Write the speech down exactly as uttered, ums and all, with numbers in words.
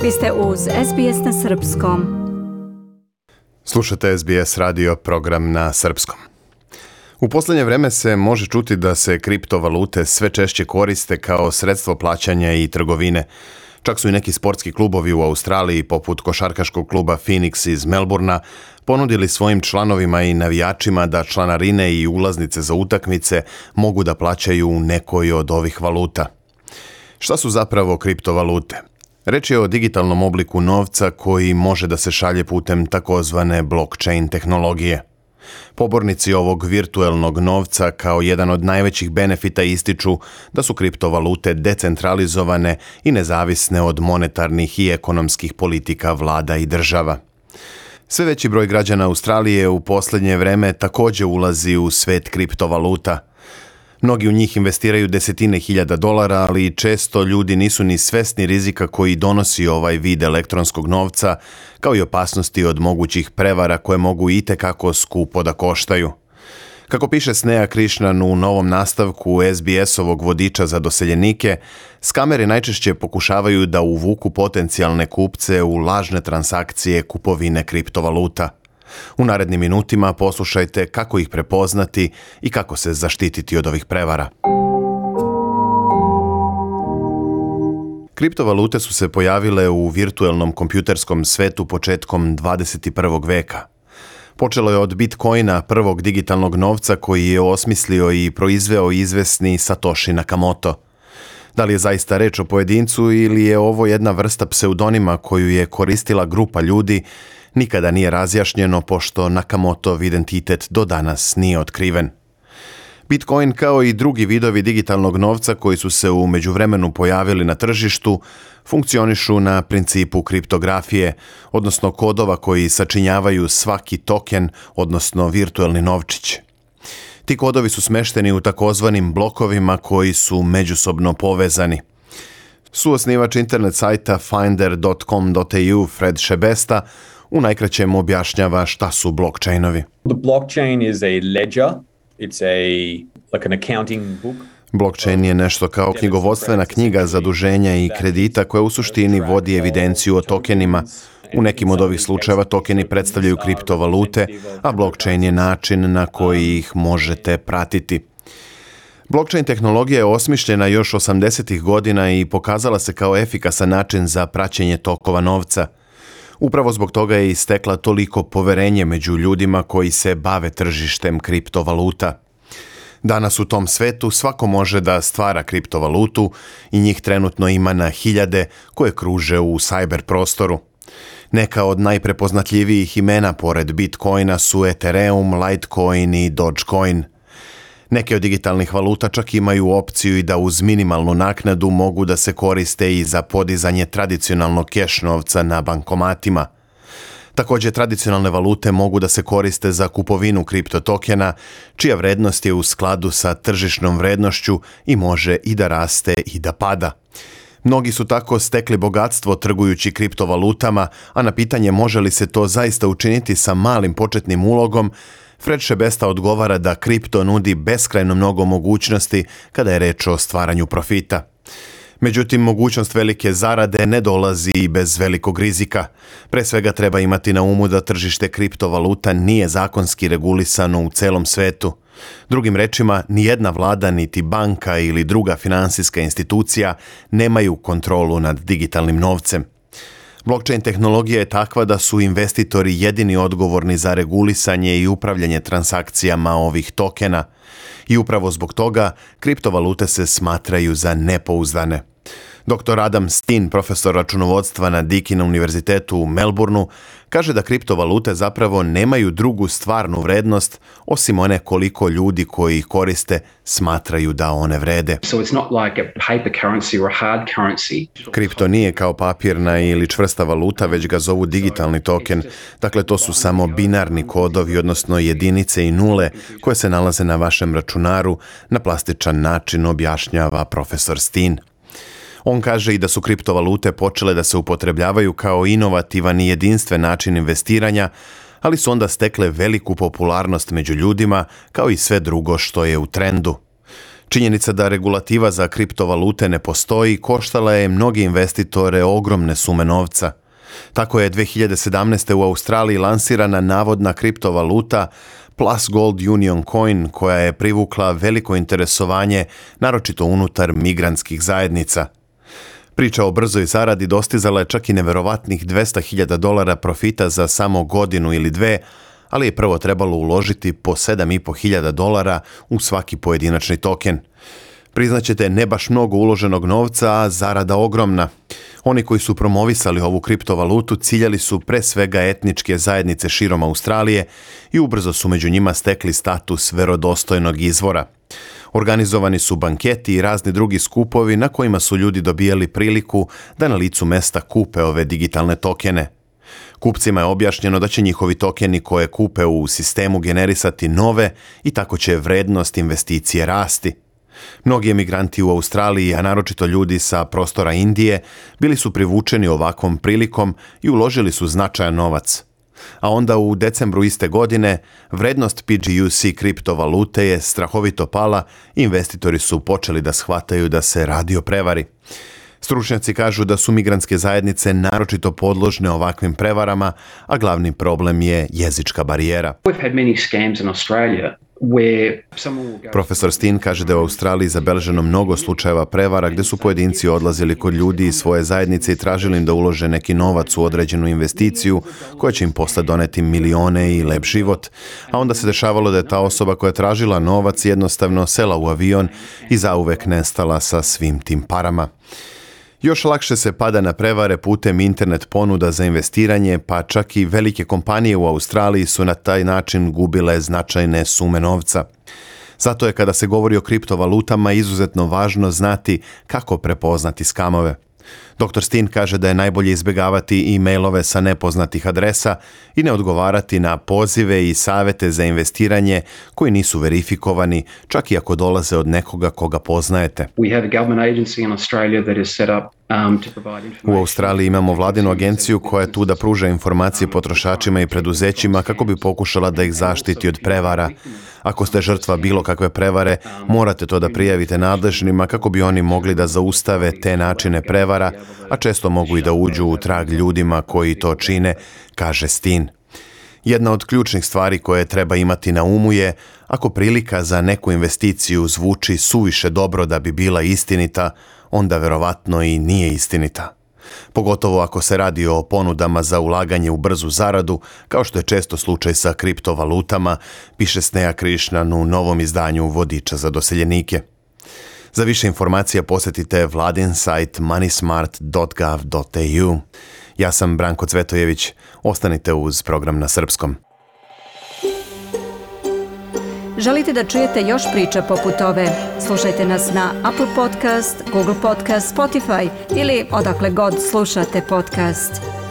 Vi ste uz S B S na srpskom. Slušate S B S radio program na srpskom. U posljednje vreme se može čuti da se kriptovalute sve češće koriste kao sredstvo plaćanja i trgovine. Čak su i neki sportski klubovi u Australiji, poput košarkaškog kluba Phoenix iz Melbourna, ponudili svojim članovima i navijačima da članarine i ulaznice za utakmice mogu da plaćaju u nekoj od ovih valuta. Šta su zapravo kriptovalute? Reč je o digitalnom obliku novca koji može da se šalje putem takozvane blockchain tehnologije. Pobornici ovog virtuelnog novca kao jedan od najvećih benefita ističu da su kriptovalute decentralizovane i nezavisne od monetarnih i ekonomskih politika vlada i država. Sve veći broj građana Australije u posljednje vreme također ulazi u svet kriptovaluta. Mnogi u njih investiraju desetine hiljada dolara, ali često ljudi nisu ni svesni rizika koji donosi ovaj vid elektronskog novca, kao i opasnosti od mogućih prevara koje mogu itekako skupo da koštaju. Kako piše Sneha Krishnan u novom nastavku S B S-ovog vodiča za doseljenike, skameri najčešće pokušavaju da uvuku potencijalne kupce u lažne transakcije kupovine kriptovaluta. U narednim minutima poslušajte kako ih prepoznati i kako se zaštititi od ovih prevara. Kriptovalute su se pojavile u virtuelnom kompjuterskom svetu početkom dvadeset prvog veka. Počelo je od Bitcoina, prvog digitalnog novca koji je osmislio i proizveo izvesni Satoshi Nakamoto. Da li je zaista reč o pojedincu ili je ovo jedna vrsta pseudonima koju je koristila grupa ljudi, nikada nije razjašnjeno, pošto Nakamotov identitet do danas nije otkriven. Bitcoin, kao i drugi vidovi digitalnog novca koji su se u međuvremenu pojavili na tržištu, funkcionišu na principu kriptografije, odnosno kodova koji sačinjavaju svaki token, odnosno virtuelni novčić. Ti kodovi su smešteni u takozvanim blokovima koji su međusobno povezani. Suosnivač internet sajta finder dot com dot a u Fred Šebesta u najkraćem objašnjava šta su blockchainovi. The blockchain is a ledger. It's a like an accounting book. Blockchain je nešto kao knjigovodstvena knjiga zaduženja i kredita koja u suštini vodi evidenciju o tokenima. U nekim od ovih slučajeva tokeni predstavljaju kriptovalute, a blockchain je način na koji ih možete pratiti. Blockchain tehnologija je osmišljena još osamdesetih godina i pokazala se kao efikasan način za praćenje tokova novca. Upravo zbog toga je istekla toliko poverenje među ljudima koji se bave tržištem kriptovaluta. Danas u tom svetu svako može da stvara kriptovalutu i njih trenutno ima na hiljade koje kruže u cyber prostoru. Neka od najprepoznatljivijih imena pored Bitcoina su Ethereum, Litecoin i Dogecoin. Neke od digitalnih valuta čak imaju opciju i da uz minimalnu naknadu mogu da se koriste i za podizanje tradicionalnog keš novca na bankomatima. Također, tradicionalne valute mogu da se koriste za kupovinu kriptotokena, čija vrednost je u skladu sa tržišnom vrednošću i može i da raste i da pada. Mnogi su tako stekli bogatstvo trgujući kriptovalutama, a na pitanje može li se to zaista učiniti sa malim početnim ulogom, Fred Šebesta odgovara da kripto nudi beskrajno mnogo mogućnosti kada je reč o stvaranju profita. Međutim, mogućnost velike zarade ne dolazi i bez velikog rizika. Pre svega treba imati na umu da tržište kriptovaluta nije zakonski regulisano u celom svetu. Drugim rečima, nijedna vlada, niti banka ili druga finansijska institucija nemaju kontrolu nad digitalnim novcem. Blockchain tehnologija je takva da su investitori jedini odgovorni za regulisanje i upravljanje transakcijama ovih tokena. I upravo zbog toga kriptovalute se smatraju za nepouzdane. doktor Adam Steen, profesor računovodstva na Deakin univerzitetu u Melbourneu, kaže da kriptovalute zapravo nemaju drugu stvarnu vrednost osim one koliko ljudi koji ih koriste smatraju da one vrede. So it's not like a paper currency or a hard currency. Kripto nije kao papirna ili čvrsta valuta, već ga zovu digitalni token. Dakle, to su samo binarni kodovi, odnosno jedinice i nule koje se nalaze na vašem računaru, na plastičan način objašnjava profesor Steen. On kaže i da su kriptovalute počele da se upotrebljavaju kao inovativan i jedinstven način investiranja, ali su onda stekle veliku popularnost među ljudima, kao i sve drugo što je u trendu. Činjenica da regulativa za kriptovalute ne postoji koštala je mnogi investitore ogromne sume novca. Tako je dve hiljade sedamnaeste. u Australiji lansirana navodna kriptovaluta Plus Gold Union Coin, koja je privukla veliko interesovanje, naročito unutar migrantskih zajednica. Priča o brzoj zaradi dostizala je čak i neverovatnih dvesta hiljada dolara profita za samo godinu ili dve, ali je prvo trebalo uložiti po sedam i po hiljada dolara u svaki pojedinačni token. Priznaćete, ne baš mnogo uloženog novca, a zarada ogromna. Oni koji su promovisali ovu kriptovalutu ciljali su pre svega etničke zajednice širom Australije i ubrzo su među njima stekli status verodostojnog izvora. Organizovani su banketi i razni drugi skupovi na kojima su ljudi dobijali priliku da na licu mesta kupe ove digitalne tokene. Kupcima je objašnjeno da će njihovi tokeni koje kupe u sistemu generisati nove i tako će vrednost investicije rasti. Mnogi emigranti u Australiji, a naročito ljudi sa prostora Indije, bili su privučeni ovakvom prilikom i uložili su značajan novac. A onda u decembru iste godine vrednost P G U C kriptovalute je strahovito pala i investitori su počeli da shvataju da se radi o prevari. Stručnjaci kažu da su migrantske zajednice naročito podložne ovakvim prevarama, a glavni problem je jezička barijera. We've had many scams in Australia where someone will go... Profesor Steen kaže da je u Australiji zabeleženo mnogo slučajeva prevara gde su pojedinci odlazili kod ljudi iz svoje zajednice i tražili im da ulože neki novac u određenu investiciju koja će im posle doneti milione i lep život, a onda se dešavalo da je ta osoba koja je tražila novac jednostavno sela u avion i zauvek nestala sa svim tim parama. Još lakše se pada na prevare putem internet ponuda za investiranje, pa čak i velike kompanije u Australiji su na taj način gubile značajne sume novca. Zato je kada se govori o kriptovalutama izuzetno važno znati kako prepoznati skamove. doktor Steen kaže da je najbolje izbjegavati e-mailove sa nepoznatih adresa i ne odgovarati na pozive i savete za investiranje koji nisu verifikovani, čak i ako dolaze od nekoga koga poznajete. We have a government agency in Australia that is set up um, to provide information. U Australiji imamo vladinu agenciju koja je tu da pruža informacije potrošačima i preduzećima kako bi pokušala da ih zaštiti od prevara. Ako ste žrtva bilo kakve prevare, morate to da prijavite nadležnima kako bi oni mogli da zaustave te načine prevara, a često mogu i da uđu u trag ljudima koji to čine, kaže Steen. Jedna od ključnih stvari koje treba imati na umu je, ako prilika za neku investiciju zvuči suviše dobro da bi bila istinita, onda verovatno i nije istinita. Pogotovo ako se radi o ponudama za ulaganje u brzu zaradu, kao što je često slučaj sa kriptovalutama, piše Sneha Krishnan u novom izdanju Vodiča za doseljenike. Za više informacija posjetite vladin sajt money smart dot gov dot a u. Ja sam Branko Cvetojević. Ostanite uz program na srpskom. Želite da čujete još priča poput ove? Slušajte nas na Apple Podcast, Google Podcast, Spotify ili odakle god slušate podcast.